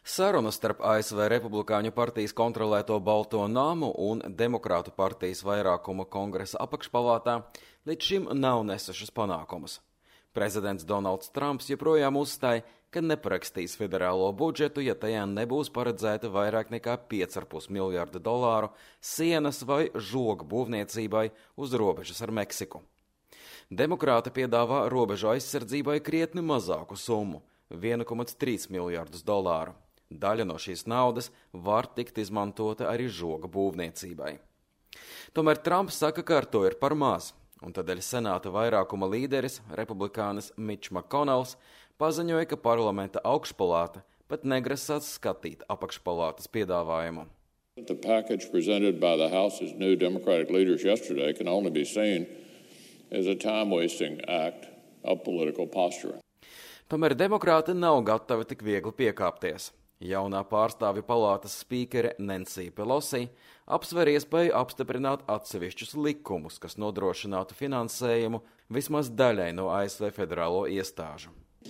Sarunas starp ASV Republikāņu partijas kontrolēto Balto namu un Demokrātu partijas vairākuma kongresa apakšpalātā līdz šim nav nesušas panākumus. Prezidents Donalds Trumps joprojām uzstāja, ka neparakstīs federālo budžetu, ja tajā nebūs paredzēta vairāk nekā $5,5 miljardu sienas vai žogu būvniecībai uz robežas ar Meksiku. Demokrāti piedāvā robežu aizsardzībai krietni mazāku summu – $1,3 miljardus. Daļa no šīs naudas var tikt izmantota arī žoga būvniecībai. Tomēr Trumps saka, ka ar to ir par maz, un tādēļ senāta vairākuma līderis, republikānis Mitch McConnells, paziņoja, ka parlamenta augšpalāta pat negrasās skatīt apakšpalātas piedāvājumu. The package presented by the House's new Democratic leaders yesterday can only be seen as a time-wasting act of political posturing. Tomēr demokrāti nav gatavi tik viegli piekāpties. Jaunā pārstāvju palātas spīkere Nancy Pelosi apsver iespēju apstiprināt atsevišķus likumus, kas nodrošinātu finansējumu vismaz daļai no ASV federālo iestāžu.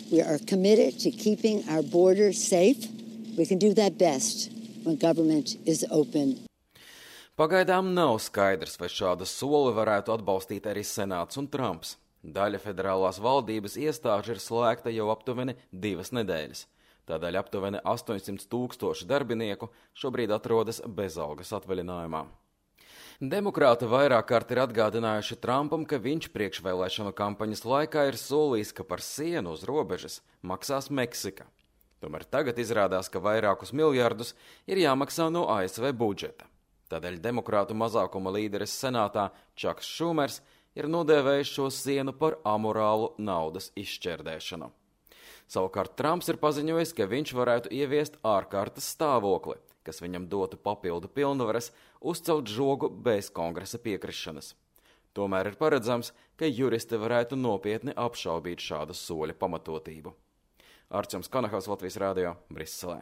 We are committed to keeping our borders safe. We can do that best when government is open. Pagaidām nav skaidrs, vai šādu soli varētu atbalstīt arī Senāts un Trumps. Daļa federālās valdības iestāžu ir slēgta jau aptuveni 2 nedēļas. Tādēļ aptuveni 800,000 darbinieku šobrīd atrodas bezalgas atvaļinājumā. Demokrāti vairāk kārt ir atgādinājuši Trumpam, ka viņš priekšvēlēšanu kampaņas laikā ir solījis, ka par sienu uz robežas maksās Meksika. Tomēr tagad izrādās, ka vairākus miljardus ir jāmaksā no ASV budžeta. Tādēļ demokrātu mazākuma līderis senātā Čaks Šumers ir nodēvējis šo sienu par amorālu naudas izšķērdēšanu. Savukārt Trumps ir paziņojis, ka viņš varētu ieviest ārkārtas stāvokli, kas viņam dotu papildu pilnvaras uzcelt žogu bez kongresa piekrišanas. Tomēr ir paredzams, ka juristi varētu nopietni apšaubīt šādu soļa pamatotību. Arčuns Kanahaus, Latvijas radio, Briselē.